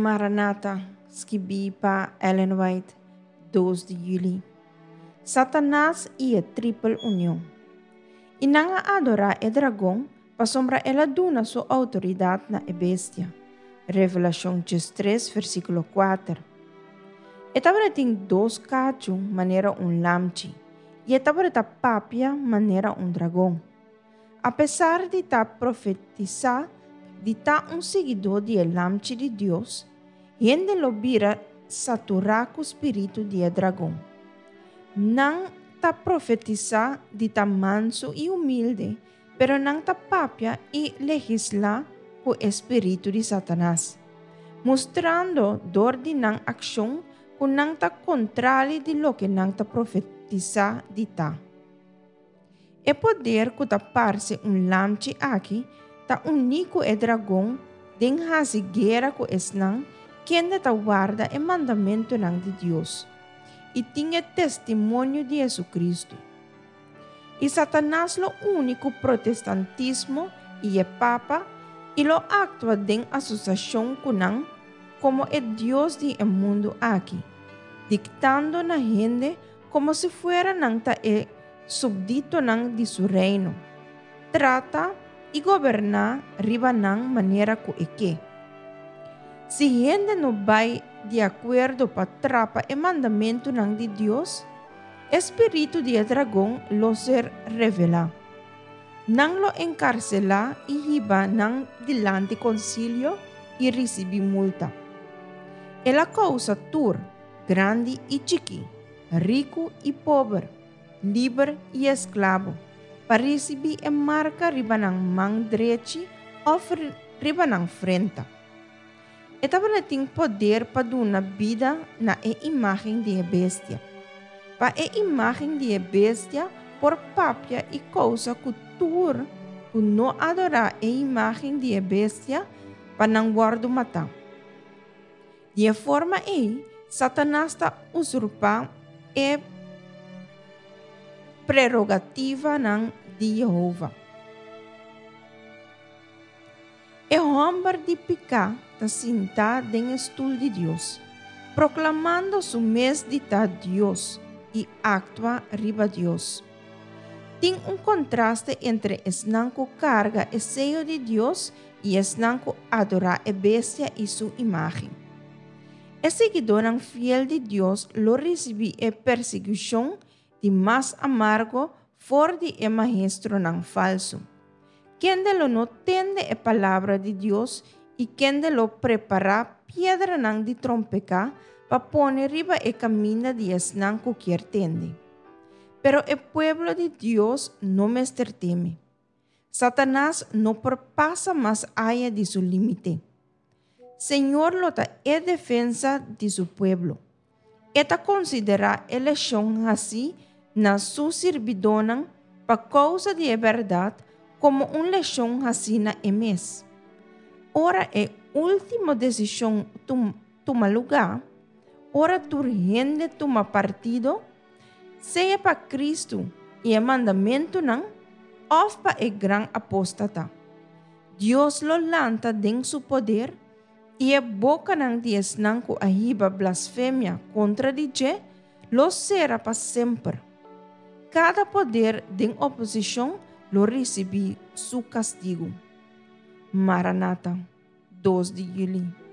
Maranata, skibí pa Ellen White, dos di yüli. Satanas i e Tripel Union. I nan a adorá e dragon pasobra el a duna su outoridat na e bestia. Revelashon 13, versíkulo 4. E tabatin dos kachu manera un lamchi, i e tabata papia manera un dragon. Apesar di ta profetisá di ta un siguidó di e Lamchi di Dios, hende lo bira saturá ku spiritu di e dragon. Nan ta profetisá di ta mansu i humilde, pero nan ta papia i legislá ku e spiritu di Satanas, mustrando dor di nan akshon ku nan ta kontrali di loke nan ta profetisá di ta. E poder ku ta parse un lamchi aki ta uní ku e dragon den hasi guera ku esnan kende ta warda e mandamentunan di Dios i tin e testimonio di Hesukristu. I Satanas lo uni ku protestantismo i e papa i lo aktua den asosiashon ku nan komo e dios di e mundu aki, diktando na hende Komo si fuera nan ta e supditonan di su reino, trata i goberná riba nan manera ku e ke. Si hende no bai di akuerdo pa trapa e mandamentunan di Dios, e spiritu di e dragon lo ser revelá. Nan lo enkarselá i hiba nan dilanti konsilio i risibí multa. El a kousa tur. Grandi i chikí, riku i pober, liber i esklabo, pa risibí e marka riba nan man drechi òf riba nan frenta. E tabata tin poder pa duna bida na e imágen di e bestia, pa e imágen di e bestia por papia i kousa ku tur ku no adorá e imágen di e bestia pa nan wòrdu matá. Di e forma ei, Satanas ta usurpá e prerogativanan di Yehova. E hòmber di piká ta sintá den e stul di Dios, proklamando su mes di ta Dios i aktua riba Dios. Tin un kontraste entre esnan ku karga e seyo di Dios i esnan ku adorá e bestia i su imágen. E siguidónan fiel di Dios lo risibí e persiguishon di mas amargo for di e maestronan falsu, kende lo no tende e palabra di Dios i kende lo prepará piedranan di trompeká pa pone riba e kaminda di esnan ku kier tende. Pero e pueblo di Dios no mester teme. Satanas no por pasa mas aya di su límite. Señor lo ta e defensa di su pueblo. E ta konsiderá e leshon hasí na su sirbidónan pa kousa di e bèrdat komo un leshon hasí na e mes. Ora e último desishon tuma lugá, ora tur hende tuma partido, sea pa Kristu i e mandamentunan òf pa e gran apóstata. Dios lo lanta den su poder i e bokanan di esnan ku a hiba blasfemia kontra di dje lo sera pa semper. Kada poder den oposishon lo risibí su kastigu. Maranata, dos di yüli.